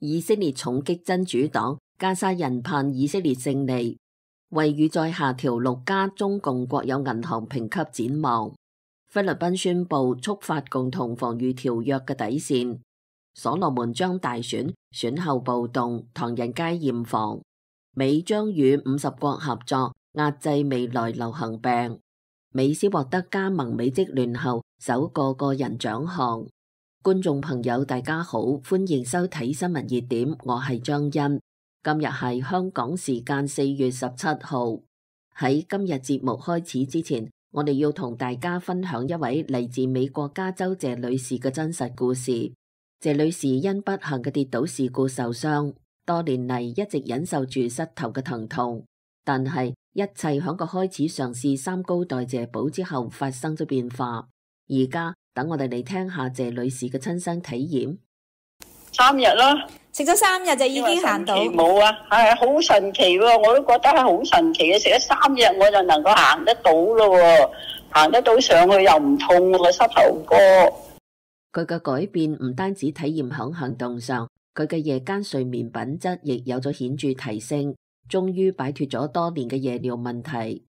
以色列重擊真主黨，加沙人盼以色列勝利。惠譽再下調6家中共國有銀行評級展望。菲律賓宣布觸發共同防禦條約嘅底線。所羅門將大選，選後暴動，唐人街嚴防。美將與50國合作壓制未來流行病。美斯獲得加盟美職聯後首個個人獎項。觀眾朋友大家好，歡迎收睇新聞熱點，我係張欣。今日係香港時間4月17號。喺今日節目開始之前，我哋要同大家分享一位嚟自美國加州謝女士嘅真實故事。謝女士因不幸嘅跌倒事故受傷，多年嚟一直忍受住膝頭嘅疼痛，但係一切喺佢開始嘗試三高代謝寶之後發生咗變化。而家等我哋嚟聽下謝女士嘅親身體驗。3日啦，食咗3日就已經行到。冇啊，係好神奇喎！我都覺得係好神奇嘅，食咗3日我就能夠行得到咯，行得到上去又唔痛個膝頭哥。佢嘅改變唔單止體驗響行動上，佢嘅夜間睡眠品質亦有咗顯著提升，終於擺脫咗多年嘅夜尿問題。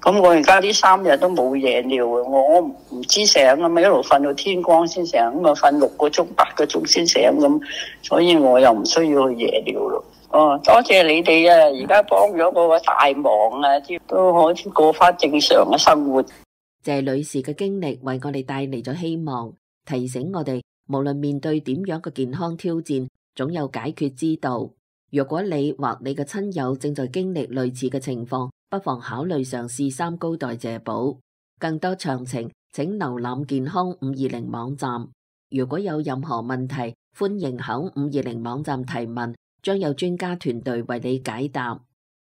咁我而家呢3日都冇夜尿啊！我唔知醒啊嘛，一路瞓到天光先醒，咁啊瞓6個鐘、8個鐘先醒咁，所以我又唔需要去夜尿咯。哦，多謝你哋啊！而家幫咗我個大忙啊，都可以過翻正常嘅生活。謝女士嘅經歷為我哋帶嚟咗希望，提醒我哋無論面對點樣嘅健康挑戰，總有解決之道。若果你或你嘅親友正在經歷類似嘅情況，不妨考慮嘗試三高代謝寶。更多詳情請瀏覽健康520網站。如果有任何問題，歡迎響520網站提問，將有專家團隊為你解答。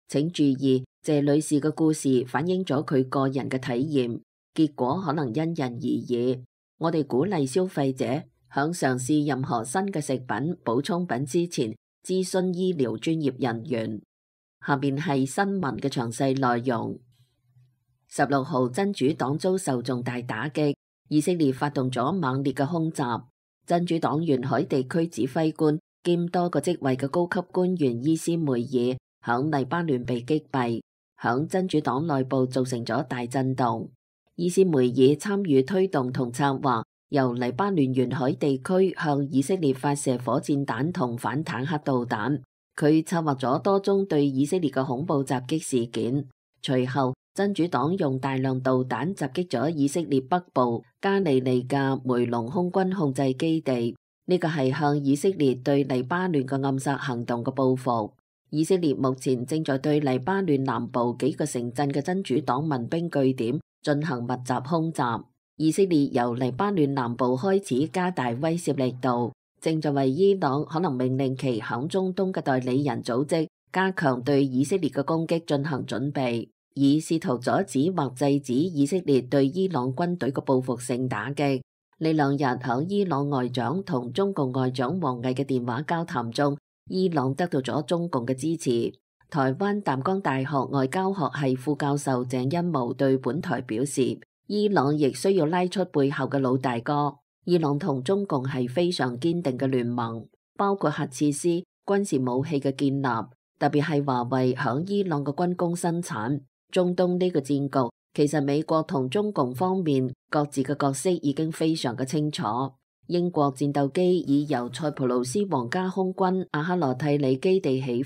請注意，謝女士嘅故事反映咗佢個人嘅體驗，結果可能因人而異。我哋鼓勵消費者響嘗試任何新嘅食品、補充品之前，諮詢醫療專業人員。下面係新聞嘅詳細內容。16號真主黨遭受重大打擊，以色列發動咗猛烈嘅空襲。真主黨沿海地區指揮官兼多個職位嘅高級官員伊斯梅爾響黎巴嫩被擊斃，響真主黨內部造成咗大震動。伊斯梅爾參與推動同策劃由黎巴嫩沿海地區向以色列發射火箭彈同反坦克導彈。佢策劃咗多宗對以色列嘅恐怖襲擊事件。隨後，真主黨用大量導彈襲擊咗以色列北部加利利嘅梅隆空軍控制基地。呢個係向以色列對黎巴嫩嘅暗殺行動嘅報復。以色列目前正在對黎巴嫩南部幾個城鎮嘅真主黨民兵據點進行密集空襲。以色列由黎巴嫩南部開始加大威懾力度，正在為伊朗可能命令其響中東嘅代理人組織加強對以色列嘅攻擊進行準備，以試圖阻止或制止以色列對伊朗軍隊嘅報復性打擊。呢2日響伊朗外長同中共外長王毅嘅電話交談中，伊朗得到咗中共嘅支持。台灣淡江大學外交學系副教授鄭欣模對本台表示，伊朗亦需要拉出背後嘅老大哥。伊朗同中共係非常堅定嘅聯盟，包括核設施、軍事武器嘅建立，特別係華為響伊朗嘅軍工生產。中東呢個戰局，其實美國同中共方面各自嘅角色已經非常嘅清楚。英國戰鬥機已由塞浦路斯皇家空軍阿克羅蒂里基地起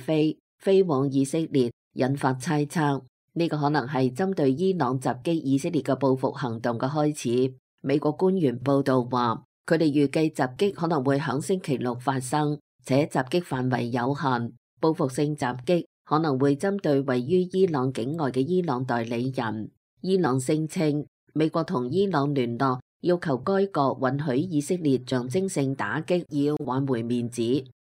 飛往以色列，引發猜測，呢個可能係針對伊朗襲擊以色列嘅報復行動嘅開始。美國官員報道話，佢哋預計襲擊可能會響星期6發生，且襲擊範圍有限。報復性襲擊可能會針對位於伊朗境外嘅伊朗代理人。伊朗聲稱，美國同伊朗聯絡，要求該國允許以色列象徵性打擊，以挽回面子，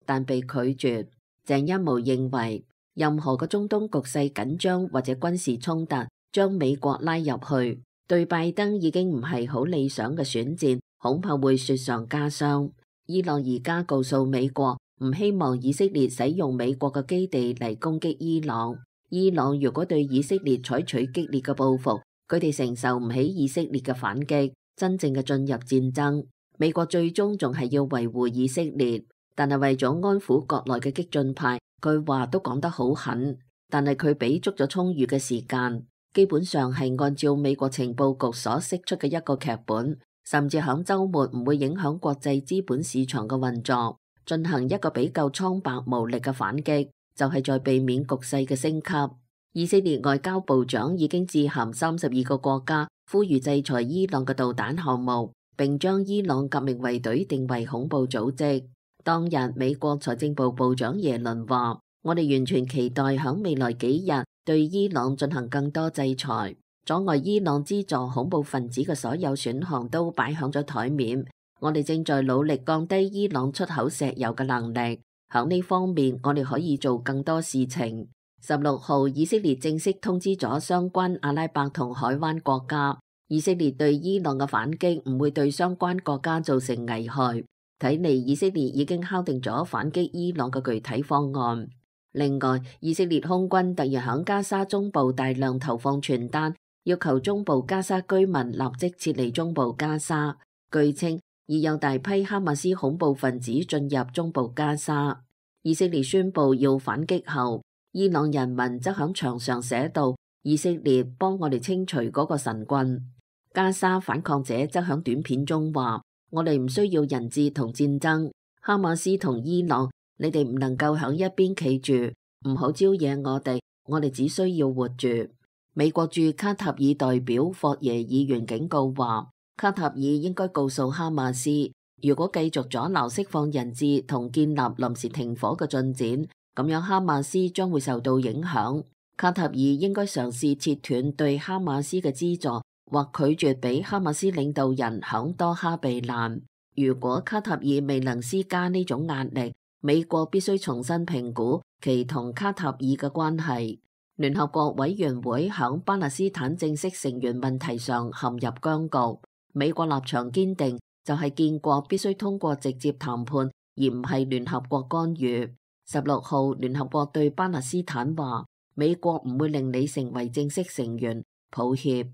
但被拒絕。鄭欣模認為，任何嘅中東局勢緊張或者軍事衝突，將美國拉入去，對拜登已經唔係好理想嘅選戰，恐怕會雪上加霜。伊朗而家告訴美國，唔希望以色列使用美國嘅基地嚟攻擊伊朗。伊朗如果對以色列採取激烈嘅報復，佢哋承受唔起以色列嘅反擊，真正嘅進入戰爭。美國最終仲係要維護以色列。但係為咗安撫國內嘅激進派，佢話都講得好狠。但係佢俾足咗充裕嘅時間，基本上係按照美國情報局所釋出嘅一個劇本，甚至響週末唔會影響國際資本市場嘅運作，進行一個比較蒼白無力嘅反擊，就係在避免局勢嘅升級。以色列外交部長已經致函32個國家，呼籲制裁伊朗嘅導彈項目，並將伊朗革命衛隊定為恐怖組織。當日，美國財政部部長耶倫話：我哋完全期待響未來幾日對伊朗進行更多制裁，阻礙伊朗資助恐怖分子嘅所有選項都擺響咗台面。我哋正在努力降低伊朗出口石油嘅能力，響呢方面我哋可以做更多事情。16號，以色列正式通知咗相關阿拉伯同海灣國家，以色列對伊朗嘅反擊唔會對相關國家造成危害。睇嚟以色列已經敲定咗反擊伊朗嘅具體方案。另外，以色列空軍突然響加沙中部大量投放傳單，要求中部加沙居民立即撤離中部加沙。據稱，已有大批哈馬斯恐怖分子進入中部加沙。以色列宣布要反擊後，伊朗人民則響牆上寫道：以色列幫我哋清除嗰個神棍。加沙反抗者則響短片中話：我哋唔需要人質同戰爭，哈馬斯同伊朗，你哋唔能夠響一邊企住，唔好招惹我哋只需要活住。美國駐卡塔爾代表霍耶議員警告話，卡塔爾應該告訴哈馬斯，如果繼續阻撓釋放人質同建立臨時停火嘅進展，咁樣哈馬斯將會受到影響。卡塔爾應該嘗試切斷對哈馬斯嘅資助，或拒絕俾哈馬斯領導人響多哈避難。如果卡塔爾未能施加呢種壓力，美國必須重新評估其同卡塔爾嘅關係。聯合國委員會響巴勒斯坦正式成員問題上陷入僵局，美國立場堅定，就係建國必須通過直接談判，而唔係聯合國干預。16號，聯合國對巴勒斯坦話，美國唔會令你成為正式成員，抱歉。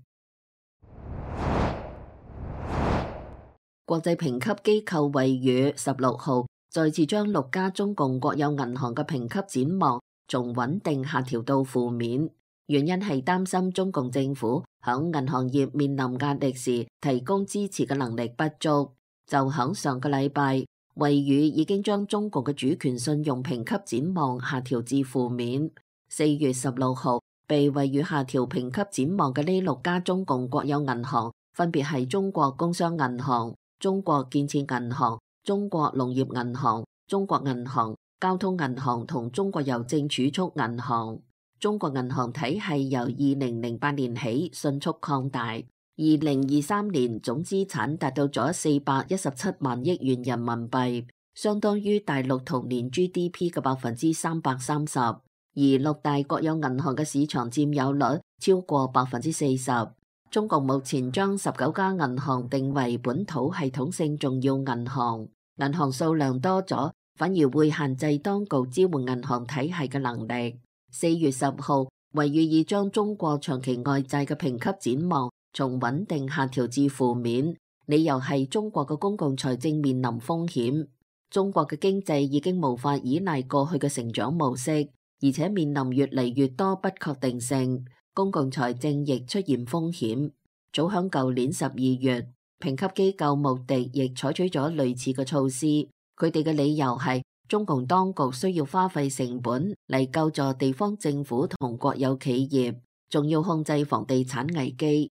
國際評級機構惠譽16號再次將6家中共國有銀行嘅評級展望從穩定下調到負面，原因係擔心中共政府響銀行業面臨壓力時提供支持嘅能力不足。就響上個禮拜，惠譽已經將中國嘅主權信用評級展望下調至負面。4月16號，被惠譽下調評級展望嘅呢6家中共國有銀行，分別係中國工商銀行、中國建設銀行、中國農業銀行、中國銀行、交通銀行同中國郵政儲蓄銀行。中國銀行體系由2008年起迅速擴大，2023年總資產達到咗417萬億元人民幣，相當於大陸同年 GDP 嘅330%，而6大國有銀行嘅市場佔有率超過40%。中國目前將19家銀行定為本土系統性重要銀行，銀行數量多咗，反而會限制當局支援銀行體系嘅能力。4月10號，惠譽已將中國長期外債嘅評級展望從穩定下調至負面，理由係中國嘅公共財政面臨風險。中國嘅經濟已經無法依賴過去嘅成長模式，而且面臨越嚟越多不確定性，公共財政亦出現風險。早響舊年12月，評級機構穆迪亦採取咗類似嘅措施，佢哋嘅理由係中共當局需要花費成本嚟救助地方政府同國有企業，仲要控制房地產危機。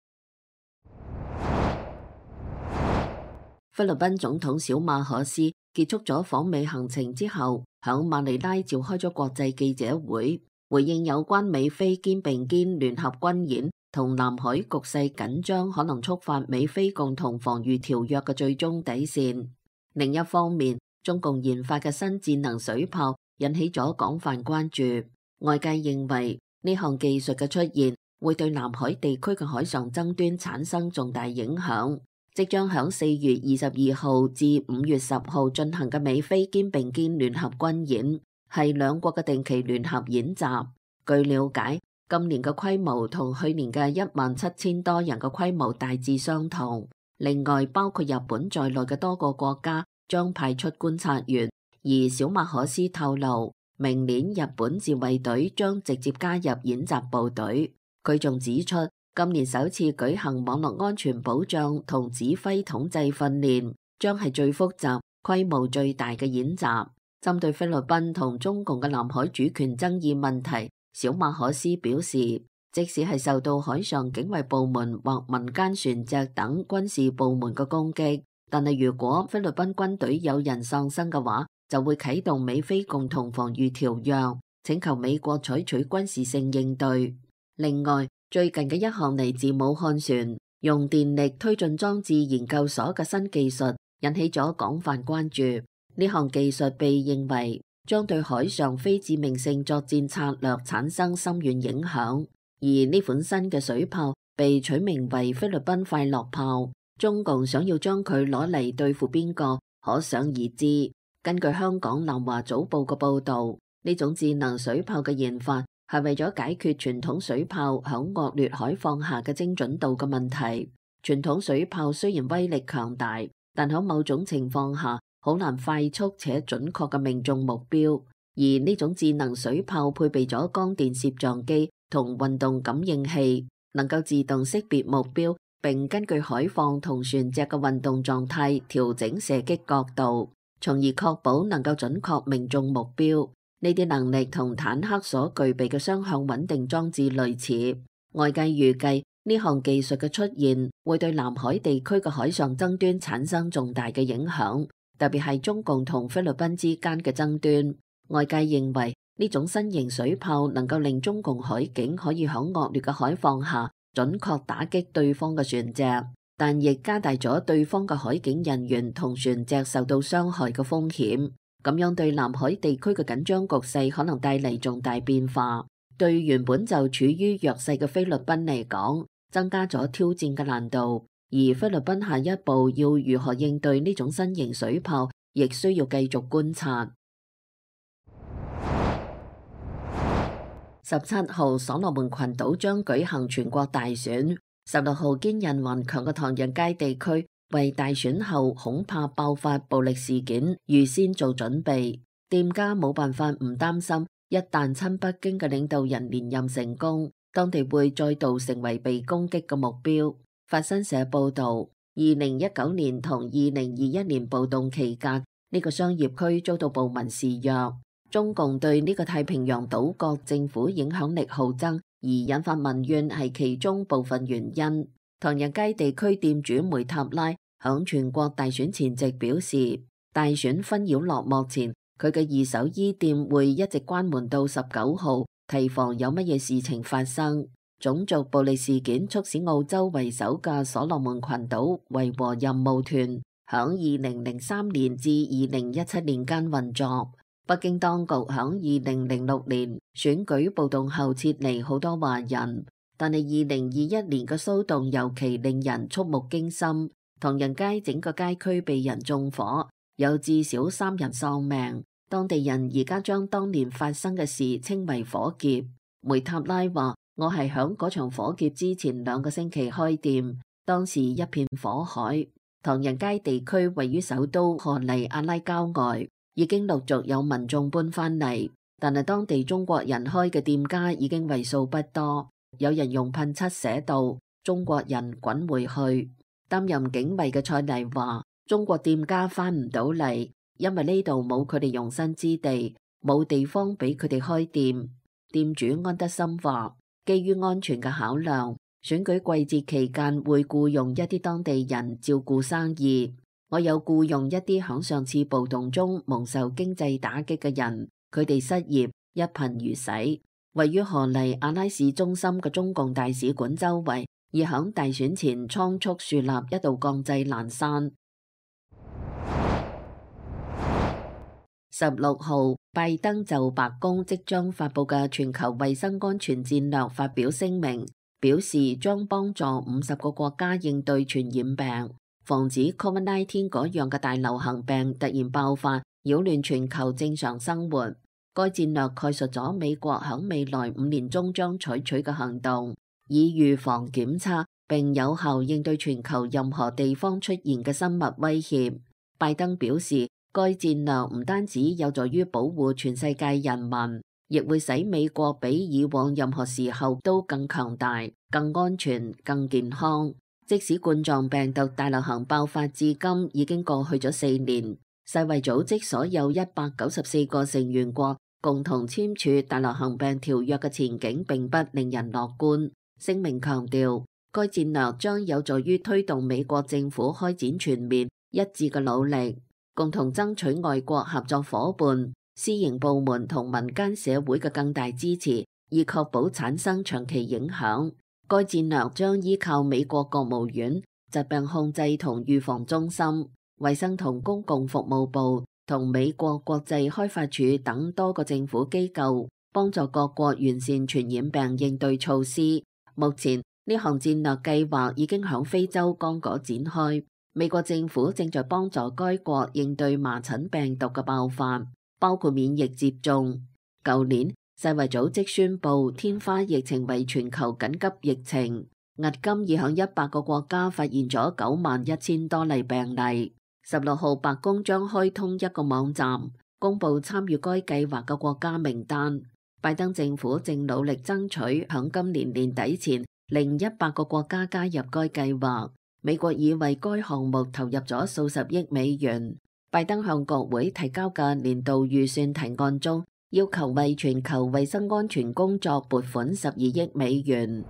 菲律賓總統小馬可斯結束咗訪美行程之後，響馬尼拉召開咗國際記者會，回應有關美菲肩並肩聯合軍演同南海局勢緊張可能觸發美菲共同防禦條約嘅最終底線。另一方面，中共研發嘅新戰能水炮引起咗廣泛關注，外界認為呢項技術嘅出現會對南海地區嘅海上爭端產生重大影響。即將響4月22號至5月10號進行嘅美菲肩並肩聯合軍演，係兩國嘅定期聯合演習。據了解，今年嘅規模同去年嘅17000多人嘅規模大致相同。另外，包括日本在內嘅多個國家將派出觀察員，而小馬可斯透露，明年日本自衛隊將直接加入演習部隊。佢仲指出，今年首次舉行網絡安全保障同指揮統制訓練，將係最複雜、規模最大嘅演習。針對菲律賓同中共嘅南海主權爭議問題，小馬可斯表示，即使係受到海上警衛部門或民間船隻等軍事部門嘅攻擊，但係如果菲律賓軍隊有人喪生嘅話，就會啟動美菲共同防禦條約，請求美國採取軍事性應對。另外，最近嘅一項嚟自武漢船用電力推進裝置研究所嘅新技術引起咗廣泛關注。呢項技術被認為將對海上非致命性作戰策略產生深遠影響，而呢款新嘅水炮被取名為菲律賓快樂炮。中共想要將佢攞嚟對付邊個，可想而知。根據香港南華早報嘅報導，呢種智能水炮嘅研發係為咗解決傳統水炮響惡劣海況下嘅精準度嘅問題。傳統水炮雖然威力強大，但喺某種情況下好難快速且準確嘅命中目標。而呢種智能水炮配備咗光電攝像機同運動感應器，能夠自動識別目標，並根據海況同船隻嘅運動狀態調整射擊角度，從而確保能夠準確命中目標。呢啲能力同坦克所具備嘅雙向穩定裝置類似。外界預計呢項技術嘅出現會對南海地區嘅海上爭端產生重大嘅影響，特別係中共同菲律賓之間嘅爭端。外界認為呢種新型水炮能夠令中共海警可以喺惡劣嘅海況下準確打擊對方嘅船隻，但亦加大咗對方嘅海警人員同船隻受到傷害嘅風險。咁樣對南海地區嘅緊張局勢可能帶嚟重大變化，對原本就處於弱勢嘅菲律賓嚟講，增加咗挑戰嘅難度。而菲律賓下一步要如何應對呢種新型水炮，亦需要繼續觀察。17號所羅門群島將舉行全國大選。16號堅韌頑強嘅唐人街地區為大選後恐怕爆發暴力事件預先做準備，店家冇辦法唔擔心，一旦親北京嘅領導人連任成功，當地會再度成為被攻擊嘅目標。法新社報導，2019年同2021年暴動期間，呢個商業區遭到暴民肆虐。中共對呢個太平洋島國政府影響力耗增而引發民怨係其中部分原因。唐人街地區店主梅塔拉響全國大選前夕表示，大選紛擾落幕前，佢嘅二手衣店會一直關門到19號，提防有乜嘢事情發生。種族暴力事件促使澳洲為首嘅所羅門群島維和任務團響2003年至2017年間運作。北京當局響2006年選舉暴動後撤離好多華人，但係2021年嘅騷動尤其令人觸目驚心。唐人街整個街區被人縱火，有至少3人喪命。當地人而家將當年發生嘅事稱為火劫。梅塔拉話：我係響嗰場火劫之前2個星期開店，當時一片火海。唐人街地區位於首都荷黎阿拉郊外，已經陸續有民眾搬返嚟，但係當地中國人開嘅店家已經為數不多。有人用噴漆寫道：中國人滾回去。擔任警衛嘅蔡麗話：中國店家返唔到嚟，因為呢度冇佢哋容身之地，冇地方俾佢哋開店。店主安德森話：基於安全嘅考量，選舉季節期間會僱用一啲當地人照顧生意。我有僱用一啲響上次暴動中蒙受經濟打擊嘅人，佢哋失業，一貧如洗。位於荷黎阿拉市中心嘅中共大使館周圍，已響大選前倉促樹立一道鋼製欄山。16號，拜登就白宮即將發佈嘅全球衛生安全戰略發表聲明，表示將幫助50個國家應對傳染病，防止 COVID-19 嗰樣嘅大流行病突然爆發，擾亂全球正常生活。該戰略概述咗美國響未來5年中將採取嘅行動，以預防、檢測並有效應對全球任何地方出現嘅生物威脅。拜登表示，該戰略唔單止有助於保護全世界人民，亦會使美國比以往任何時候都更強大、更安全、更健康。即使冠狀病毒大流行爆發至今已經過去咗4年，世衛組織所有194個成員國共同簽署大流行病條約嘅前景並不令人樂觀。聲明強調，該戰略將有助於推動美國政府開展全面一致嘅努力，共同爭取外國合作夥伴、私營部門同民間社會嘅更大支持，以確保產生長期影響。該戰略將依靠美國國務院、疾病控制同預防中心、衛生同公共服務部同美國國際開發署等多個政府機構，幫助各國完善傳染病應對措施。目前呢項戰略計劃已經響非洲剛果展開，美國政府正在幫助該國應對麻疹病毒嘅爆發，包括免疫接種。舊年世衛組織宣布天花疫情為全球緊急疫情，迄今已響100個國家發現咗91000多例病例。16號白宮將開通一個網站，公布參與該計劃嘅國家名單。拜登政府正努力爭取響今年年底前令100個國家加入該計劃。美國已為該項目投入咗數十億美元。拜登向國會提交嘅年度預算提案中，要求為全球衛生安全工作撥款12億美元。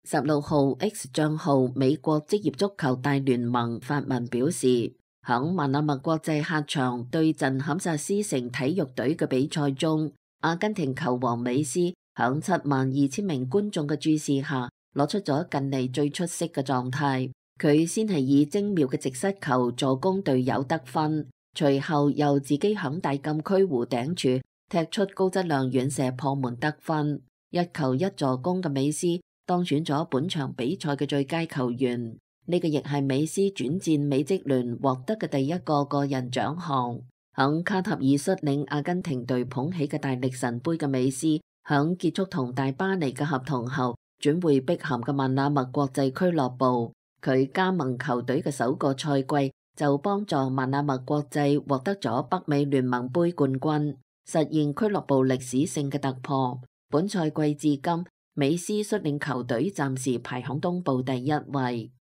16號 X 賬號美國職業足球大聯盟發文表示，響曼阿默國際客場對陣堪薩斯城體育隊嘅比賽中，阿根廷球王美斯響72000名觀眾嘅注視下，攞出咗近嚟最出色嘅狀態。佢先係以精妙嘅直失球助攻隊友得分，隨後又自己響大禁區弧頂處踢出高質量遠射破門得分，一球一助攻嘅美斯當選咗本場比賽嘅最佳球員。呢個亦係美斯轉戰美職聯獲得嘅第一個個人獎項。響卡塔爾率領阿根廷隊捧起嘅大力神杯嘅美斯，響結束同大巴黎嘅合同後，轉回碧咸嘅曼阿默國際俱樂部。佢加盟球隊嘅首個賽季就幫助曼阿默國際獲得咗北美聯盟杯冠軍，實現俱樂部歷史性嘅突破。本賽季至今，美斯率領球隊暫時排響東部第1位。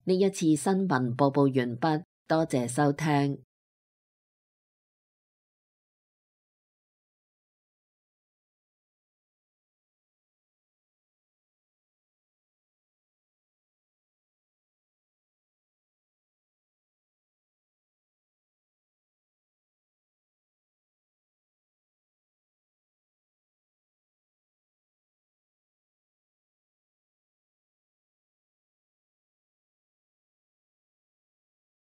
呢一次新聞播報完畢，多謝收聽。